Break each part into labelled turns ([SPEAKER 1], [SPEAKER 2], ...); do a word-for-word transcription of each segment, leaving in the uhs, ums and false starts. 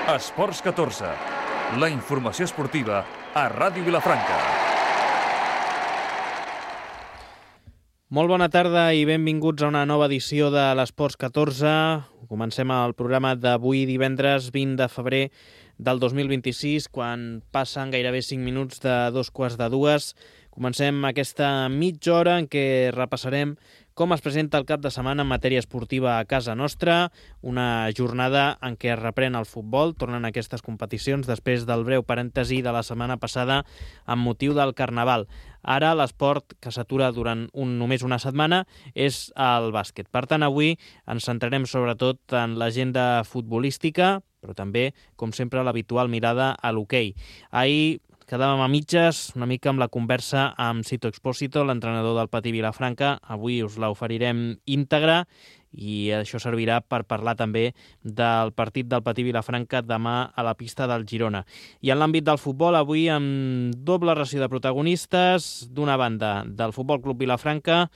[SPEAKER 1] Esports catorze, la informació esportiva a Ràdio Vilafranca.
[SPEAKER 2] Molt bona tarda i benvinguts a una nova edició de l'Esports catorze. Comencem el programa d'avui divendres vint de febrer del dos mil vint-i-sis, quan passen gairebé cinc minuts de dos quarts de dues. Comencem aquesta mitja hora en què repassarem com es presenta el cap de setmana en matèria esportiva a casa nostra, una jornada en què es reprèn el futbol, tornen aquestes competicions després del breu parèntesi de la setmana passada amb motiu del Carnaval. Ara l'esport que s'atura durant un, només una setmana és el bàsquet. Per tant, avui ens centrarem sobretot en l'agenda futbolística, però també, com sempre, l'habitual mirada a l'hoquei. Ahir quedàvem a mitges, una mica amb la conversa amb Sito Expósito, l'entrenador del Patí Vilafranca. Avui us l'oferirem íntegra i això servirà per parlar també del partit del Patí Vilafranca demà a la pista del Girona. I en l'àmbit del futbol, avui amb doble ració de protagonistes. D'una banda, del Futbol Club Vilafranca,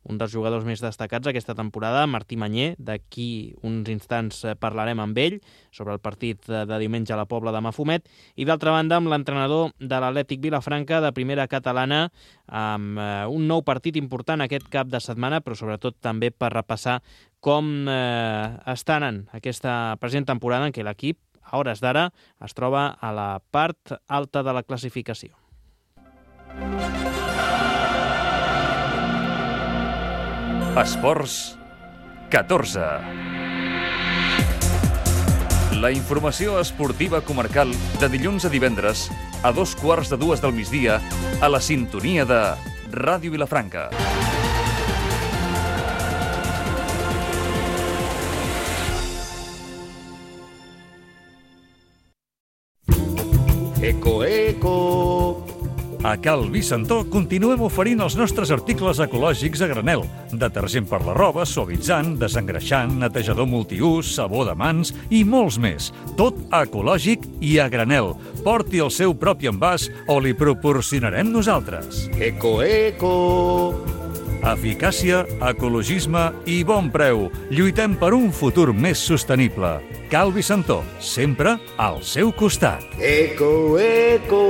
[SPEAKER 2] un dels jugadors més destacats aquesta temporada, Martí Mañé. D'aquí uns instants parlarem amb ell sobre el partit de diumenge a la Pobla de Mafumet. I d'altra banda, amb l'entrenador de l'Atlètic Vilafranca de primera catalana, amb un nou partit important aquest cap de setmana, però sobretot també per repassar com eh, està anant aquesta present temporada en què l'equip, a hores d'ara, es troba a la part alta de la classificació.
[SPEAKER 1] Esports catorze. La informació esportiva comarcal de dilluns a divendres a dos quarts de dues del migdia a la sintonia de Ràdio Vilafranca.
[SPEAKER 3] Eco, eco!
[SPEAKER 1] A Cal Vicentó continuem oferint els nostres articles ecològics a granel. Detergent per la roba, suavitzant, desengreixant, netejador multiús, sabó de mans i molts més. Tot ecològic i a granel. Porti el seu propi envàs o li proporcionarem nosaltres.
[SPEAKER 3] Eco, eco!
[SPEAKER 1] Eficàcia, ecologisme i bon preu. Lluitem per un futur més sostenible. Cal Vicentó, sempre al seu costat.
[SPEAKER 3] Eco, eco!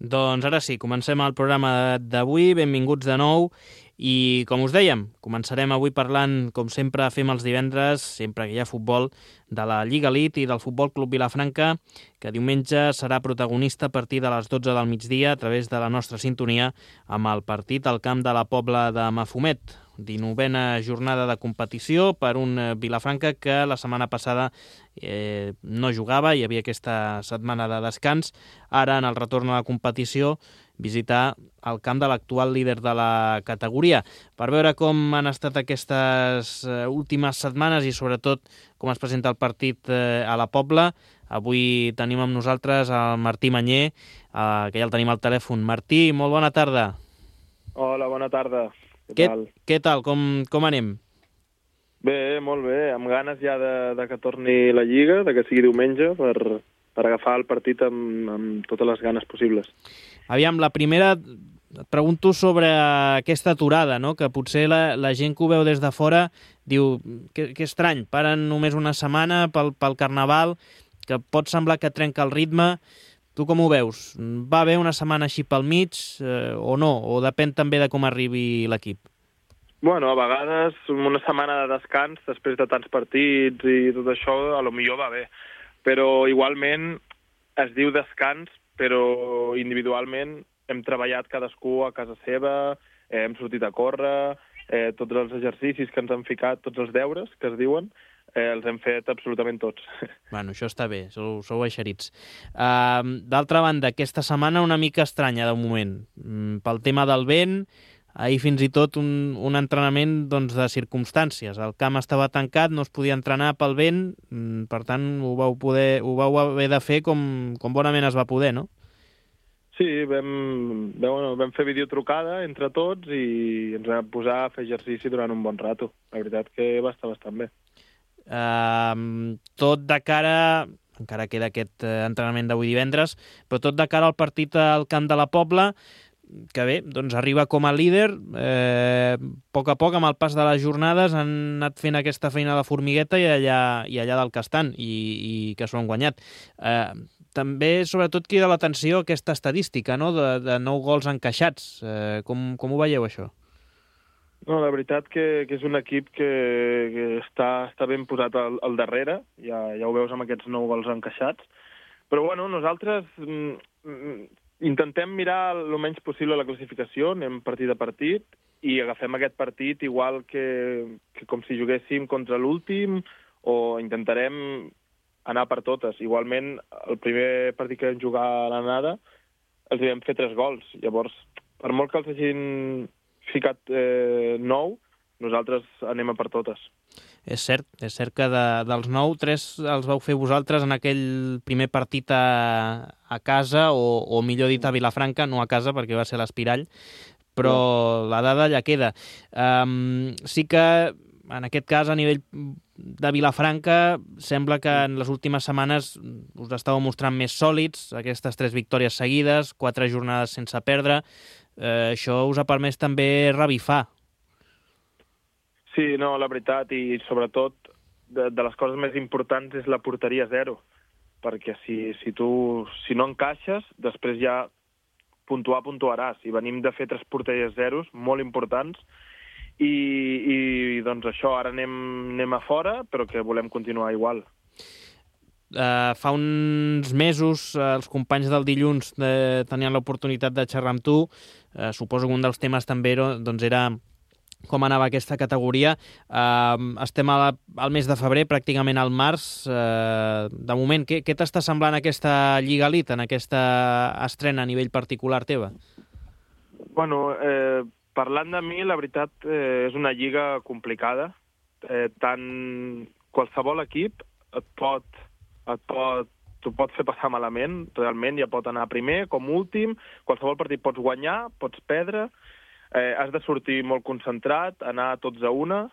[SPEAKER 2] Doncs ara sí, comencem el programa d'avui. Benvinguts de nou. I, com us dèiem, començarem avui parlant, com sempre fem els divendres, sempre que hi ha futbol, de la Lliga Elite i del Futbol Club Vilafranca, que diumenge serà protagonista a partir de les dotze del migdia a través de la nostra sintonia amb el partit al camp de la Pobla de Mafumet. dinovena jornada de competició per un Vilafranca que la setmana passada eh, no jugava, hi havia aquesta setmana de descans. Ara, en el retorn a la competició, visitar el camp de l'actual líder de la categoria. Per veure com han estat aquestes últimes setmanes i sobretot com es presenta el partit a la Pobla, avui tenim amb nosaltres el Martí Mañé, que ja el tenim al telèfon. Martí, molt bona tarda.
[SPEAKER 4] Hola, bona tarda.
[SPEAKER 2] Què, què tal? Què tal? Com, com anem?
[SPEAKER 4] Bé, molt bé. Amb ganes ja de, de que torni la Lliga, de que sigui diumenge, per, per agafar el partit amb, amb totes les ganes possibles.
[SPEAKER 2] Aviam, la primera, et pregunto sobre aquesta aturada, no? Que potser la, la gent que ho veu des de fora diu que, que estrany, paren només una setmana pel, pel Carnaval, que pot semblar que trenca el ritme. Tu com ho veus? Va haver una setmana així pel mig eh, o no? O depèn també de com arribi l'equip?
[SPEAKER 4] Bueno, a vegades una setmana de descans després de tants partits i tot això, a lo millor va bé. Però igualment es diu descans, però individualment hem treballat cadascú a casa seva, eh, hem sortit a córrer, eh, tots els exercicis que ens han ficat, tots els deures que es diuen, Eh, els hem fet absolutament tots.
[SPEAKER 2] Bueno, això està bé, sou, sou eixerits. Uh, D'altra banda, aquesta setmana una mica estranya de moment. Mm, pel tema del vent, ahir fins i tot un, un entrenament doncs, de circumstàncies. El camp estava tancat, no es podia entrenar pel vent, mm, per tant ho vau, poder, ho vau haver de fer com, com bonament es va poder, no?
[SPEAKER 4] Sí, vam, vam, vam fer videotrucada entre tots i ens vam posar a fer exercici durant un bon rato. La veritat que va estar bastant bé.
[SPEAKER 2] Uh, tot de cara, encara queda aquest uh, entrenament d'avui divendres, però tot de cara al partit al camp de la Pobla, que bé, doncs arriba com a líder, eh, a poc a poc, amb el pas de les jornades, han anat fent aquesta feina de formigueta i allà, i allà del que estan, i, i que s'ho han guanyat. Eh, també, sobretot, crida l'atenció aquesta estadística, no?, de, de nou gols encaixats. Eh, com, com ho veieu, això?
[SPEAKER 4] No, la veritat que, que és un equip que, que està, està ben posat al, al darrere, ja, ja ho veus amb aquests nou gols encaixats, però bueno, nosaltres mm, intentem mirar el menys possible la classificació, anem partit a partit i agafem aquest partit igual que, que com si juguéssim contra l'últim, o intentarem anar per totes. Igualment, el primer partit que vam jugar a l'anada els vam fer tres gols, llavors, per molt que els hagin ficat eh, nou, nosaltres anem a per totes.
[SPEAKER 2] És cert, és cert que de, dels nou, tres els vau fer vosaltres en aquell primer partit a, a casa, o, o millor dit a Vilafranca, no a casa perquè va ser l'Espirall, però no. La dada ja queda. Um, sí que en aquest cas, a nivell de Vilafranca, sembla que en les últimes setmanes us estàveu mostrant més sòlids, aquestes tres victòries seguides, quatre jornades sense perdre. Eh, això us ha permès també revifar.
[SPEAKER 4] Sí, no, la veritat, i sobretot de, de les coses més importants és la porteria zero, perquè si, si tu si no encaixes, després ja puntuar puntuaràs, i venim de fer tres porteries zeros molt importants, i, i doncs això, ara anem, anem a fora, però que volem continuar igual.
[SPEAKER 2] Uh, fa uns mesos uh, els companys del dilluns uh, tenien l'oportunitat de xerrar amb tu. Uh, suposo que un dels temes també era, doncs era com anava aquesta categoria. Uh, estem a la, al mes de febrer, pràcticament al març. Uh, de moment, què, què t'està semblant aquesta Lliga Elite, en aquesta estrena a nivell particular teva?
[SPEAKER 4] Bueno, eh, parlant de mi, la veritat eh, és una lliga complicada. Eh, tant qualsevol equip et pot et pot, t'ho pot fer passar malament, realment, ja pot anar primer, com últim, qualsevol partit pots guanyar, pots perdre, eh, has de sortir molt concentrat, anar tots a una,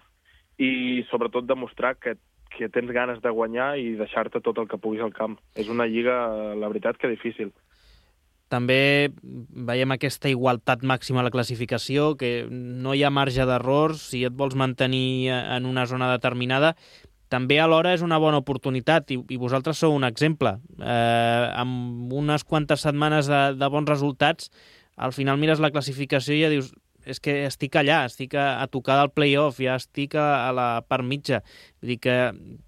[SPEAKER 4] i sobretot demostrar que, que tens ganes de guanyar i deixar-te tot el que puguis al camp. És una lliga, la veritat, que difícil.
[SPEAKER 2] També veiem aquesta igualtat màxima a la classificació, que no hi ha marge d'errors, si et vols mantenir en una zona determinada. També alhora és una bona oportunitat, i, i vosaltres sou un exemple. Eh, amb unes quantes setmanes de, de bons resultats, al final mires la classificació i ja dius, és que estic allà, estic a, a tocar del play-off, ja estic a, a la part mitja. Vull dir que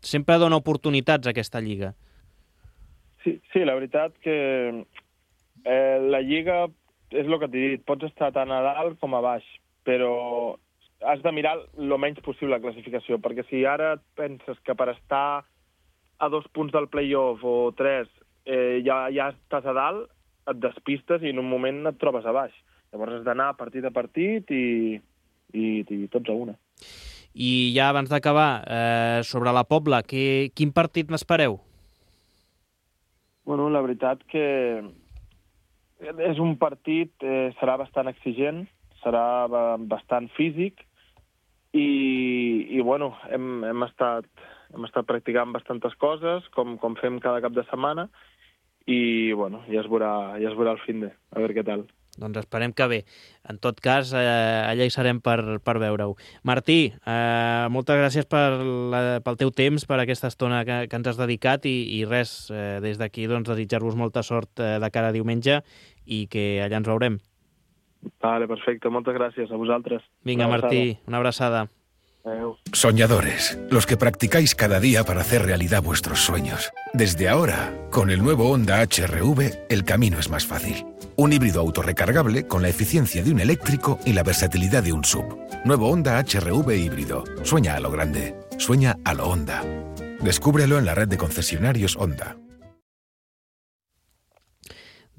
[SPEAKER 2] sempre dona oportunitats aquesta lliga.
[SPEAKER 4] Sí, sí, la veritat que eh, la lliga és el que t'he dit, pots estar tant a dalt com a baix, però has de mirar el menys possible la classificació, perquè si ara penses que per estar a dos punts del play-off o tres eh, ja, ja estàs a dalt, et despistes i en un moment et trobes a baix. Llavors has d'anar partit a partit i, i, i tots a una.
[SPEAKER 2] I ja abans d'acabar, eh, sobre la Pobla, que, quin partit n'espereu?
[SPEAKER 4] Bueno, la veritat que és un partit, eh, serà bastant exigent, serà bastant físic, i, i bueno, hem, hem, estat, hem estat practicant bastantes coses, com, com fem cada cap de setmana, i bueno, ja es veurà, ja es veurà el fin de, a veure què tal.
[SPEAKER 2] Doncs esperem que bé. En tot cas, eh, allà hi serem per, per veure-ho. Martí, eh, moltes gràcies per la, pel teu temps, per aquesta estona que, que ens has dedicat, i, i res, eh, des d'aquí doncs, desitjar-vos molta sort eh, de cara a diumenge, i que allà ens veurem.
[SPEAKER 4] Vale, perfecte. Moltes gràcies a vosaltres.
[SPEAKER 2] Venga, Martí, una abrazada.
[SPEAKER 4] Adeu.
[SPEAKER 5] Soñadores, los que practicáis cada día para hacer realidad vuestros sueños. Desde ahora, con el nuevo Honda H R V, el camino es más fácil. Un híbrido autorrecargable con la eficiencia de un eléctrico y la versatilidad de un S U V. Nuevo Honda H R V híbrido. Sueña a lo grande. Sueña a lo Honda. Descúbrelo en la red de concesionarios Honda.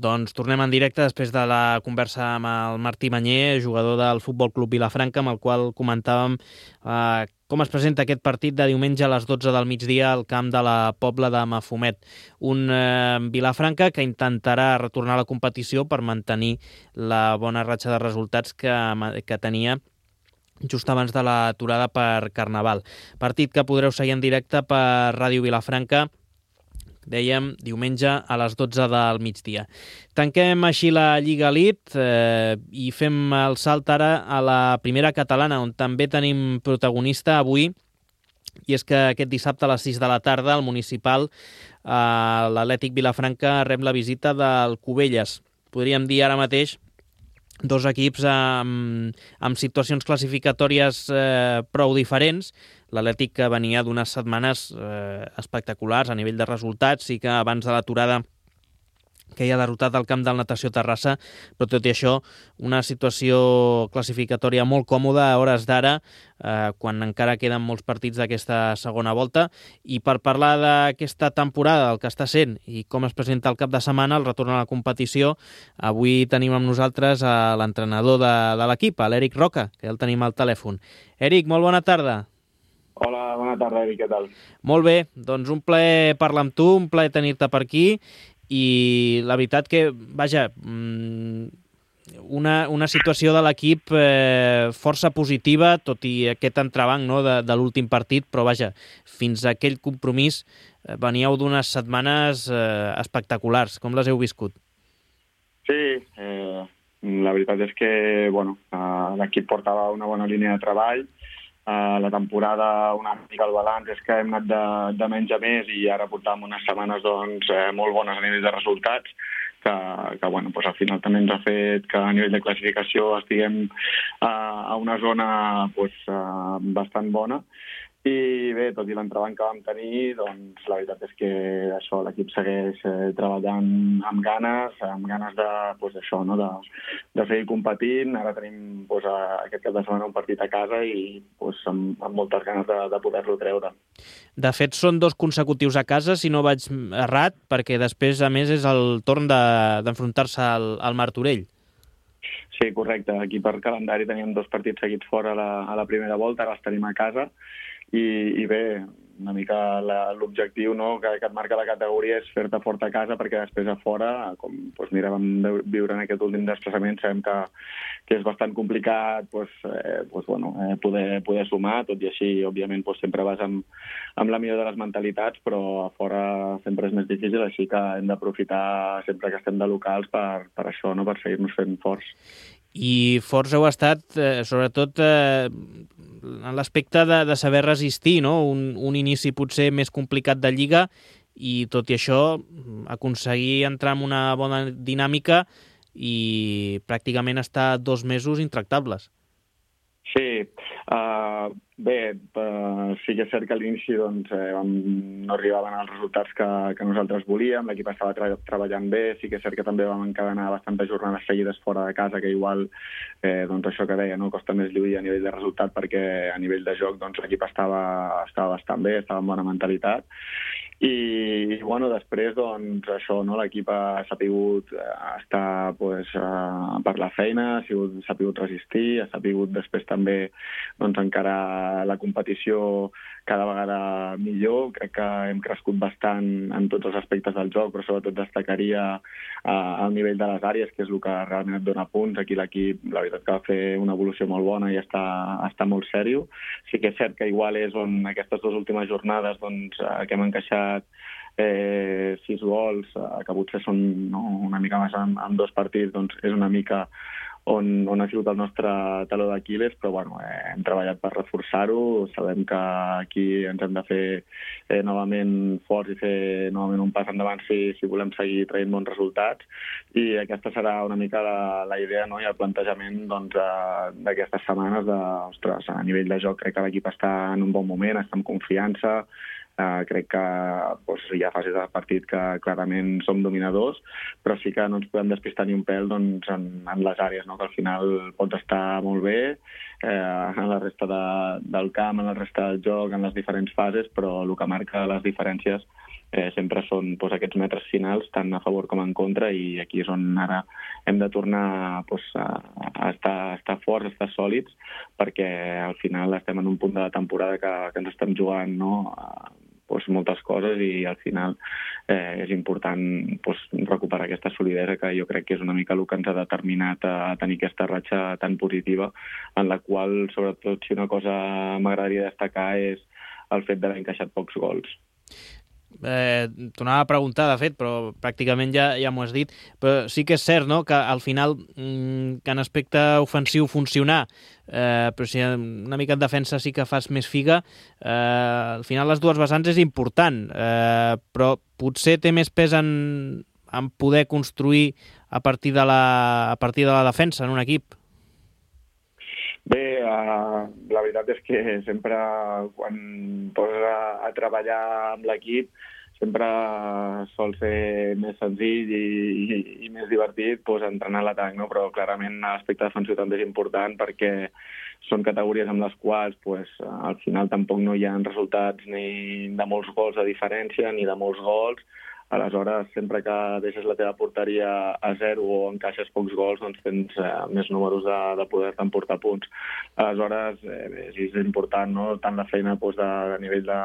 [SPEAKER 2] Doncs tornem en directe després de la conversa amb el Martí Mañé, jugador del Futbol Club Vilafranca, amb el qual comentàvem eh, com es presenta aquest partit de diumenge a les dotze del migdia al camp de la Pobla de Mafumet. Un eh, Vilafranca que intentarà retornar a la competició per mantenir la bona ratxa de resultats que, que tenia just abans de l'aturada per Carnaval. Partit que podreu seguir en directe per Ràdio Vilafranca dèiem, diumenge a les dotze del migdia. Tanquem així la Lliga Elite eh, i fem el salt ara a la primera catalana, on també tenim protagonista avui, i és que aquest dissabte a les sis de la tarda el municipal, eh, l'Atlètic Vilafranca, rep la visita del Cubelles. Podríem dir ara mateix dos equips amb, amb situacions classificatòries eh, prou diferents. L'Atlètic, que venia d'unes setmanes eh, espectaculars a nivell de resultats, sí que abans de l'aturada que hi ha derrotat al camp del Natació Terrassa, però tot i això, una situació classificatòria molt còmoda a hores d'ara, eh, quan encara queden molts partits d'aquesta segona volta. I per parlar d'aquesta temporada, el que està sent i com es presenta el cap de setmana, el retorn a la competició, avui tenim amb nosaltres a l'entrenador de, de l'equip, l'Eric Roca, que ja el tenim al telèfon. Eric, molt bona tarda.
[SPEAKER 6] Hola, bona tarda, Eric, què tal?
[SPEAKER 2] Molt bé, doncs un plaer parlar amb tu, un plaer tenir-te per aquí, i la veritat que, vaja, una, una situació de l'equip eh, força positiva, tot i aquest entrebanc, no, de, de l'últim partit, però vaja, fins a aquell compromís eh, veníeu d'unes setmanes eh, espectaculars. Com les heu viscut?
[SPEAKER 6] Sí, eh, la veritat és que bueno, eh, l'equip portava una bona línia de treball. Uh, la temporada, una mica el balanç és que hem anat de, de menys a més i ara portàvem unes setmanes doncs, eh, molt bones a nivell de resultats, que, que bueno, doncs al final també ens ha fet que a nivell de classificació estiguem uh, a una zona doncs, uh, bastant bona. I bé, tot i l'entrebanc que vam tenir, doncs la veritat és que això l'equip segueix eh, treballant amb ganes, amb ganes de, doncs, això, no? de, de seguir competint. Ara tenim doncs, aquest cap de setmana un partit a casa i doncs, amb, amb moltes ganes de, de poder-lo treure.
[SPEAKER 2] De fet, són dos consecutius a casa, si no vaig errat, perquè després, a més, és el torn de, d'enfrontar-se al, al Martorell.
[SPEAKER 6] Sí, correcte. Aquí per calendari teníem dos partits seguits fora a la, a la primera volta, ara els tenim a casa. I, i bé, una mica la, l'objectiu, no, que, que et marca la categoria és fer-te fort a casa, perquè després a fora, com doncs, mira, vam viure en aquest últim desplaçament, sabem que, que és bastant complicat doncs, eh, doncs, bueno, eh, poder, poder sumar, tot i així, òbviament, doncs, sempre vas amb, amb la millor de les mentalitats, però a fora sempre és més difícil, així que hem d'aprofitar sempre que estem de locals per, per això, no, per seguir-nos fent forts.
[SPEAKER 2] I forts heu estat, eh, sobretot, eh, en l'aspecte de, de saber resistir, no? Un, un inici potser més complicat de Lliga i, tot i això, aconseguir entrar en una bona dinàmica i pràcticament estar dos mesos intractables.
[SPEAKER 6] Sí, uh, bé, uh, sí que és cert que a l'inici doncs, eh, vam, no arribaven els resultats que, que nosaltres volíem, l'equip estava tra- treballant bé, sí que és cert que també vam encadenar bastantes jornades seguides fora de casa, que igual, eh, doncs això que deia, no? Costa més lluir a nivell de resultat perquè a nivell de joc doncs, l'equip estava, estava bastant bé, estava amb bona mentalitat. I, bueno, després, doncs, això, no? L'equip ha sapigut estar pues, uh, per la feina, ha sigut, s'ha sapigut resistir, ha sapigut després també doncs, encarar la competició cada vegada millor. Crec que hem crescut bastant en tots els aspectes del joc, però sobretot destacaria uh, el nivell de les àrees, que és el que realment et dona punts. Aquí l'equip, la veritat, que va fer una evolució molt bona i està, està molt sèrio. Sí que és cert que igual és on aquestes dues últimes jornades doncs, uh, que hem encaixat Eh, sis gols, eh, que potser són no, una mica més en, en dos partits, doncs és una mica on, on ha sigut el nostre taló d'Aquil·les, però bueno, eh, hem treballat per reforçar-ho, sabem que aquí ens hem de fer eh, novament forts i fer novament un pas endavant si, si volem seguir traient bons resultats, i aquesta serà una mica la, la idea, no? I el plantejament doncs, eh, d'aquestes setmanes de, ostres, a nivell de joc crec que l'equip està en un bon moment, està amb confiança. Uh, crec que doncs, hi ha fases del partit que clarament som dominadors, però sí que no ens podem despistar ni un pèl doncs, en, en les àrees, no? Que al final pots estar molt bé eh, en la resta de, del camp, en la resta del joc, en les diferents fases, però el que marca les diferències eh, sempre són doncs, aquests metres finals, tant a favor com en contra, i aquí és on ara hem de tornar doncs, a, a, estar, a estar forts, a estar sòlids, perquè al final estem en un punt de la temporada que, que ens estem jugant, no? A, doncs, moltes coses, i al final eh, és important doncs, recuperar aquesta solidesa, que jo crec que és una mica el que ens ha determinat a, a tenir aquesta ratxa tan positiva, en la qual, sobretot, si una cosa m'agradaria destacar és el fet d'haver encaixat pocs gols.
[SPEAKER 2] Eh, T'ho anava a preguntar, de fet, però pràcticament ja, ja m'ho has dit. Però sí que és cert, no?, que al final, mm, que en aspecte ofensiu funcionar, eh, però si una mica en defensa sí que fas més figa, eh, al final les dues vessants és important, eh, però potser té més pes en, en poder construir a partir de la, a partir de la defensa en un equip.
[SPEAKER 6] Bé, uh, la veritat és que sempre quan poses a, a treballar amb l'equip sempre sol ser més senzill i, i, i més divertit pues, entrenar l'atac, no? Però clarament l'aspecte defensiu també és important perquè són categories amb les quals pues, al final tampoc no hi ha resultats ni de molts gols de diferència ni de molts gols. Aleshores, sempre que deixes la teva porteria a zero o encaixes pocs gols, doncs tens eh, més números de, de poder emportar punts. Aleshores, eh, és important, no?, tant la feina doncs, de, de nivell de,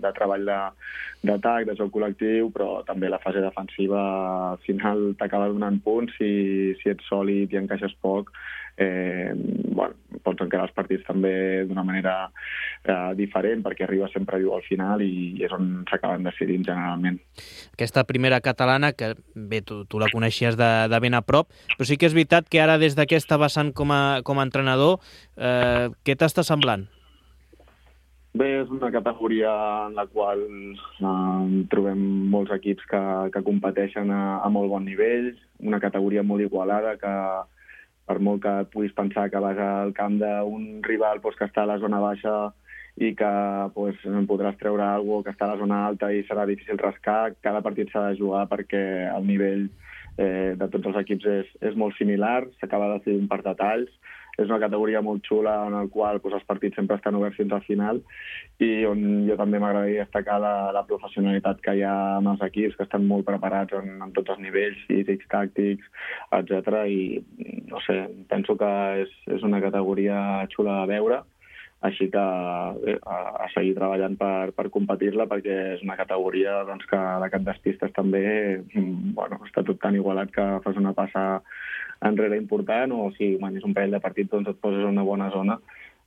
[SPEAKER 6] de treball d'atac, de, de joc col·lectiu, però també la fase defensiva al final t'acaba donant punts si, si ets sòlid i encaixes poc. Eh, bueno, pots encarar els partits també d'una manera eh, diferent perquè arriba sempre viu al final i, i és on s'acaben decidint generalment.
[SPEAKER 2] Aquesta primera catalana, que bé, tu, tu la coneixies de, de ben a prop, però sí que és veritat que ara des d'aquesta vessant com a, com a entrenador, eh, què t'està semblant?
[SPEAKER 6] Bé, és una categoria en la qual eh, trobem molts equips que, que competeixen a, a molt bon nivell, una categoria molt igualada que per molt que et puguis pensar que vas al camp d'un rival doncs, que està a la zona baixa i que doncs, podràs treure alguna cosa que està a la zona alta i serà difícil rascar, cada partit s'ha de jugar perquè el nivell eh, de tots els equips és, és molt similar, s'acaba decidint per detalls. És una categoria molt xula en la qual doncs, els partits sempre estan oberts fins al final i on jo també m'agradaria destacar la, la professionalitat que hi ha amb els equips, que estan molt preparats en, en tots els nivells físics, tàctics, etcètera. I no sé, penso que és, és una categoria xula de veure, així que bé, a, a seguir treballant per, per competir-la perquè és una categoria doncs, que de cap despistes també bueno, està tot tan igualat que fas una passa enrere important o si guanyes un parell de partits doncs et poses en una bona zona.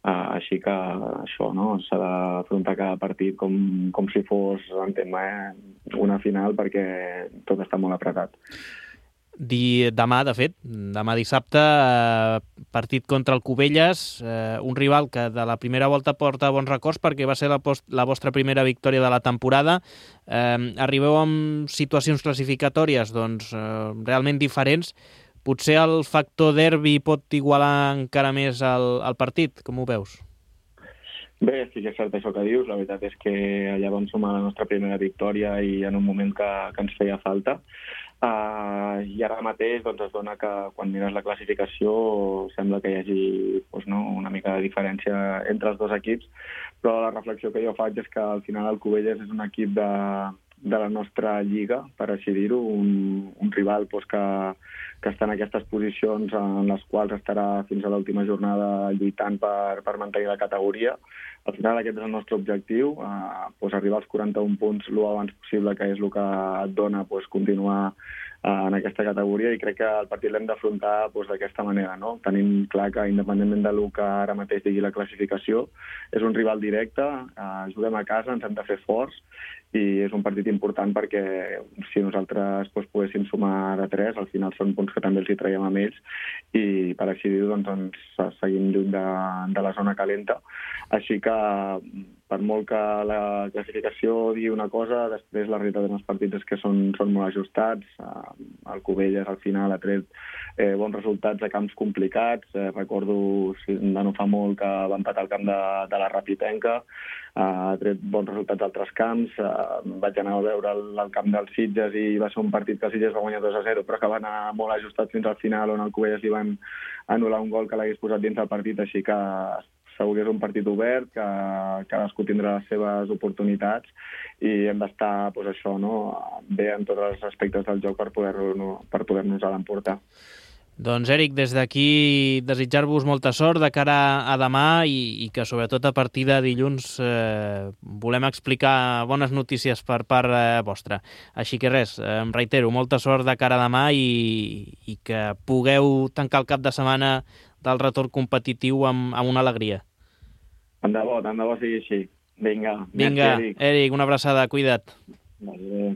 [SPEAKER 6] Uh, així que això, no? S'ha d'afrontar cada partit com, com si fos, entenc, eh, una final perquè tot està molt apretat.
[SPEAKER 2] Di, demà, de fet, demà dissabte, eh, partit contra el Cubelles, eh, un rival que de la primera volta porta bons records perquè va ser la, post, la vostra primera victòria de la temporada. Eh, arribeu amb situacions classificatòries doncs, eh, realment diferents. Potser el factor derbi pot igualar encara més el, el partit, com ho veus?
[SPEAKER 6] Bé, sí que és cert això que dius. La veritat és que allà vam sumar la nostra primera victòria i en un moment que, que ens feia falta. Uh, I ara mateix doncs, es dona que quan mires la classificació sembla que hi hagi doncs, no, una mica de diferència entre els dos equips, però la reflexió que jo faig és que al final el Cubelles és un equip de, de la nostra lliga, per així dir-ho, un, un rival doncs, que, que està en aquestes posicions en les quals estarà fins a l'última jornada lluitant per, per mantenir la categoria. Al final aquest és el nostre objectiu, eh, doncs arribar als quaranta-un punts el abans possible, que és el que et dona doncs, continuar eh, en aquesta categoria, i crec que el partit l'hem d'afrontar doncs, d'aquesta manera, no? Tenint clar que independentment del que ara mateix digui la classificació, és un rival directe, eh, juguem a casa, ens hem de fer forts, i és un partit important perquè si nosaltres doncs, poguéssim sumar de tres, al final són punts que també els hi traiem amb ells i per així dir-ho doncs, ens seguim lluny de, de la zona calenta. Així que per molt que la classificació digui una cosa, després la realitat dels partits és que són, són molt ajustats. El Cubelles al final ha tret eh, bons resultats a camps complicats. Eh, recordo si de no fa molt que va empatar al camp de, de la Rapitenca, ha tret bons resultats a altres camps. Uh, vaig anar a veure el, el camp dels Sitges i va ser un partit que el Sitges va guanyar dos a zero, però que va anar molt ajustat fins al final, on el Cubelles li van anul·lar un gol que l'hagués posat dins del partit, així que segur que és un partit obert, que cadascú tindrà les seves oportunitats i hem d'estar doncs, això, no? bé en tots els aspectes del joc per poder-nos per poder-nos l'emportar.
[SPEAKER 2] Doncs, Eric, des d'aquí desitjar-vos molta sort de cara a demà i, i que, sobretot, a partir de dilluns eh, volem explicar bones notícies per part eh, vostra. Així que res, eh, em reitero, molta sort de cara a demà i, i que pugueu tancar el cap de setmana del retorn competitiu amb, amb una alegria.
[SPEAKER 6] Tant de bo, tant de bo sigui així. Vinga,
[SPEAKER 2] Vinga,
[SPEAKER 6] merci, Eric.
[SPEAKER 2] Eric, una abraçada, cuida't.
[SPEAKER 6] Vale, bé.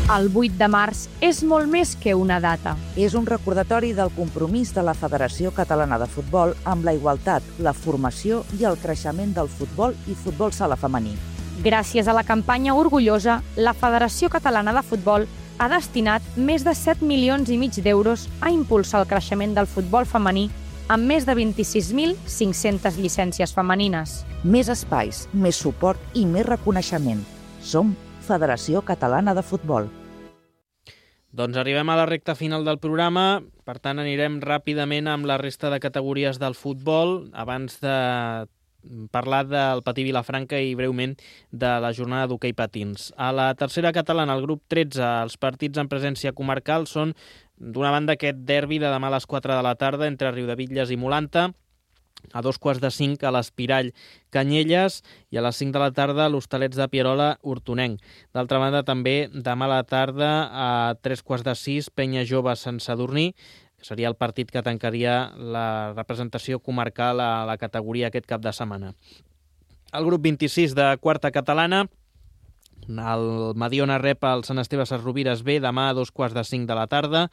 [SPEAKER 7] El vuit de març és molt més que una data.
[SPEAKER 8] És un recordatori del compromís de la Federació Catalana de Futbol amb la igualtat, la formació i el creixement del futbol i futbol sala femení.
[SPEAKER 7] Gràcies a la campanya Orgullosa, la Federació Catalana de Futbol ha destinat més de set milions i mig d'euros a impulsar el creixement del futbol femení amb més de vint-i-sis mil cinc-centes llicències femenines.
[SPEAKER 8] Més espais, més suport i més reconeixement. Som Federació Catalana de Futbol.
[SPEAKER 2] Doncs arribem a la recta final del programa, per tant anirem ràpidament amb la resta de categories del futbol, abans de parlar del Patí Vilafranca i breument de la jornada d'hoquei patins. A la tercera catalana, el grup tretze, els partits en presència comarcal són, d'una banda, aquest derbi de demà a les quatre de la tarda entre Riudebitlles i Molanta, a dos quarts de cinc a l'Espirall Canyelles i a les cinc de la tarda a l'Hostalets de Pierola Hortonenc. D'altra banda, també demà a la tarda a tres quarts de sis Penya Jove Sant Sadurní, que seria el partit que tancaria la representació comarcal a la categoria aquest cap de setmana. El grup vint-i-sis de quarta catalana, el Mediona rep el Sant Esteve Sesrovires B demà a dos quarts de cinc de la tarda,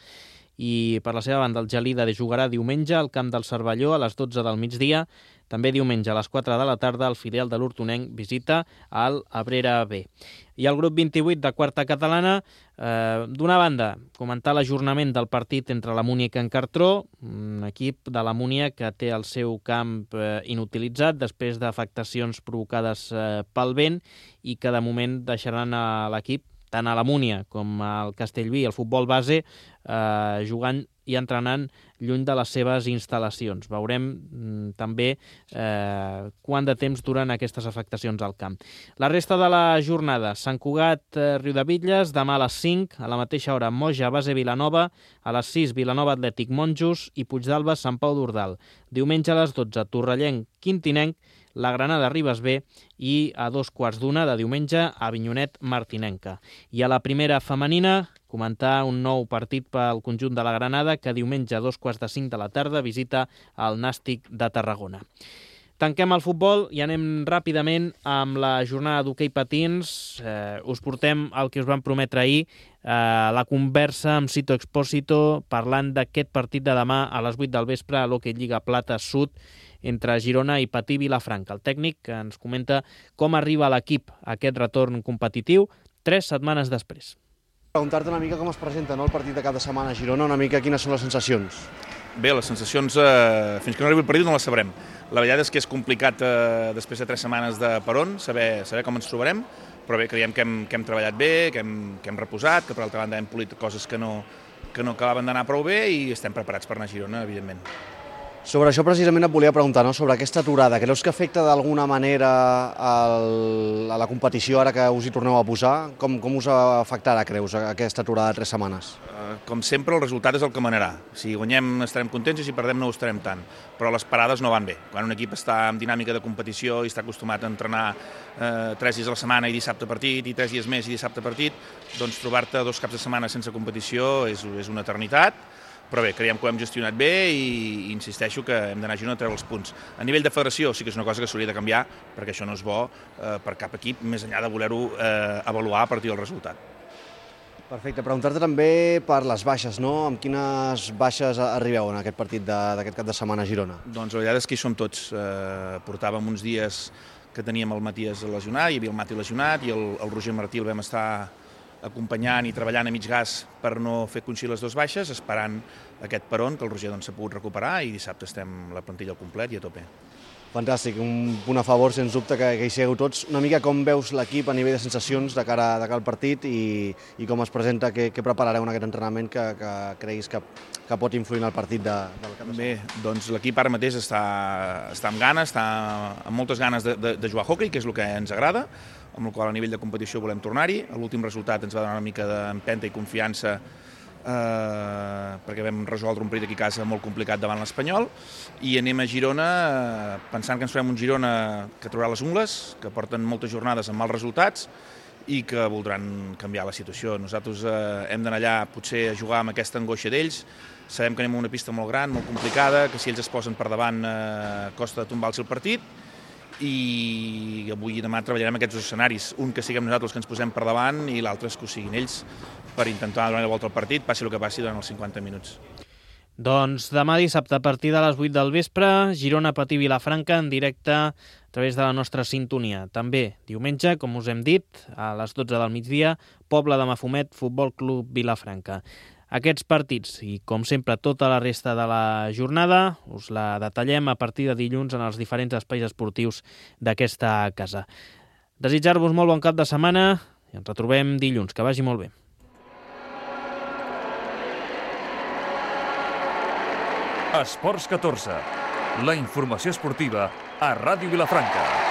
[SPEAKER 2] i per la seva banda el Gelida jugarà diumenge al camp del Cervelló a les dotze del migdia. També diumenge a les quatre de la tarda el filial de l'Hortonenc visita al Abrera B. I el grup vint-i-vuit de quarta catalana, eh, d'una banda, comentar l'ajornament del partit entre la Múnia i Can Cartró, un equip de la Múnia que té el seu camp eh, inutilitzat després d'afectacions provocades eh, pel vent i que de moment deixaran a l'equip, tant a la Múnia com al Castellví, el futbol base, eh, jugant i entrenant lluny de les seves instal·lacions. Veurem mm, també eh, quant de temps duren aquestes afectacions al camp. La resta de la jornada, Sant Cugat, eh, Riudebitlles, demà a les cinc, a la mateixa hora Moja, Base Vilanova, a les sis Vilanova Atlètic Monjos i Puigdàlber Sant Pau d'Ordal. Diumenge a les dotze Torrellenc Quintinenc, la Granada Ribes B i a dos quarts d'una de diumenge a Avinyonet Martinenca. I a la primera femenina, comentar un nou partit pel conjunt de la Granada que diumenge a dos quarts de cinc de la tarda visita el Nàstic de Tarragona. Tanquem el futbol i anem ràpidament amb la jornada d'hoquei patins. Eh, us portem el que us vam prometre ahir, eh, la conversa amb Sito Expósito parlant d'aquest partit de demà a les vuit del vespre a l'Hoquei Lliga Plata Sud entre Girona i Patí Vilafranca. El tècnic que ens comenta com arriba l'equip a aquest retorn competitiu tres setmanes després.
[SPEAKER 9] Preguntar-te una mica com es presenta, no, el partit de cap de setmana a Girona, una mica quines són les sensacions.
[SPEAKER 10] Bé, les sensacions, eh, fins que no arribi el partit no les sabrem. La veritat és que és complicat, eh, després de tres setmanes de peron, saber, saber com ens trobarem, però bé, creiem que hem, que hem treballat bé, que hem, que hem reposat, que per altra banda hem polit coses que no, que no acabaven d'anar prou bé i estem preparats per anar a Girona, evidentment.
[SPEAKER 9] Sobre això precisament et volia preguntar, no? Sobre aquesta aturada. Creus que afecta d'alguna manera el, a la competició ara que us hi torneu a posar? Com, com us afectarà, creus, aquesta aturada de tres setmanes?
[SPEAKER 10] Uh, com sempre, el resultat és el que manarà. Si guanyem estarem contents i si perdem no ho estarem tant. Però les parades no van bé. Quan un equip està en dinàmica de competició i està acostumat a entrenar uh, tres dies a la setmana i dissabte partit, i tres dies més i dissabte partit, doncs trobar-te dos caps de setmana sense competició és, és una eternitat. Però bé, creiem que ho hem gestionat bé i, i insisteixo que hem d'anar a Girona a treure els punts. A nivell de federació sí que és una cosa que s'hauria de canviar perquè això no és bo eh, per cap equip, més enllà de voler-ho eh, avaluar a partir del resultat.
[SPEAKER 9] Perfecte. Preguntar-te també per les baixes, no? Amb quines baixes arribeu en aquest partit d'aquest cap de setmana a Girona?
[SPEAKER 10] Doncs la veritat és que hi som tots. Eh, portàvem uns dies que teníem el Matías lesionat, hi havia el Mati lesionat i el, el Roger Martí el vam estar acompanyant i treballant a mig gas per no fer coincidir les dues baixes, esperant aquest peron que el Roger doncs, s'ha pogut recuperar i dissabte estem la plantilla al complet i a tope.
[SPEAKER 9] Fantàstic, un punt a favor, sens dubte, que, que hi sigueu tots. Una mica com veus l'equip a nivell de sensacions de cara, de cara al partit i, i com es presenta, què, què preparareu en aquest entrenament que, que creguis que, que pot influir en el partit de, del cap de setmana?
[SPEAKER 10] Bé, doncs l'equip ara mateix està, està amb ganes, està amb moltes ganes de, de, de jugar a hoquei, que és el que ens agrada, amb el qual a nivell de competició volem tornar-hi. L'últim resultat ens va donar una mica d'empenta i confiança eh, perquè vam resoldre un partit aquí a casa molt complicat davant l'Espanyol i anem a Girona eh, pensant que ens farem un Girona que traurà les ungles, que porten moltes jornades amb mals resultats i que voldran canviar la situació. Nosaltres eh, hem d'anar allà potser a jugar amb aquesta angoixa d'ells. Sabem que anem a una pista molt gran, molt complicada, que si ells es posen per davant eh, costa de tombar el seu partit i avui i demà treballarem aquests dos escenaris, un que siguem nosaltres que ens posem per davant i l'altre és que ho siguin ells per intentar donar la volta al partit, passi el que passi durant els cinquanta minuts.
[SPEAKER 2] Doncs demà dissabte a partir de les vuit del vespre, Girona Patí Vilafranca en directe a través de la nostra sintonia. També diumenge, com us hem dit, a les dotze del migdia, Pobla de Mafumet, Futbol Club Vilafranca. Aquests partits i, com sempre, tota la resta de la jornada us la detallem a partir de dilluns en els diferents espais esportius d'aquesta casa. Desitjar-vos molt bon cap de setmana i ens retrobem dilluns. Que vagi molt bé.
[SPEAKER 1] Esports catorze. La informació esportiva a Ràdio Vilafranca.